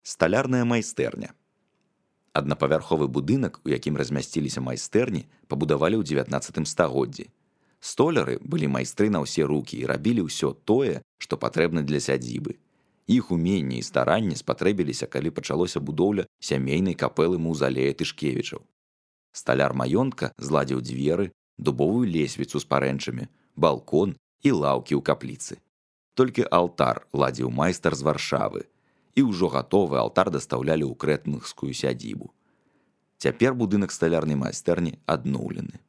Сталярная майстэрня. Аднапавярховы будынак, у якім размясціліся майстэрні, пабудавалі ў 19 стагоддзі. Столяры былі майстры на ўсе рукі і рабілі ўсё тое, што патрэбна для сядзібы. Іх уменні і старанні спатрэбіліся, калі пачалося будоўля сямейнай капэлы маўзалея Тышкевічаў. Сталяр маёнтка зладзіў дзверы, дубовую лесвіцу з парэнчамі, балкон і лаўкі ў капліцы. Толькі алтар ладзіў майстар з Варшавы, і ўжо гатовы алтар дастаўлялі ў крэтнгскую сядзібу. Цяпер будынак сталярнай майстэрні адноўлены.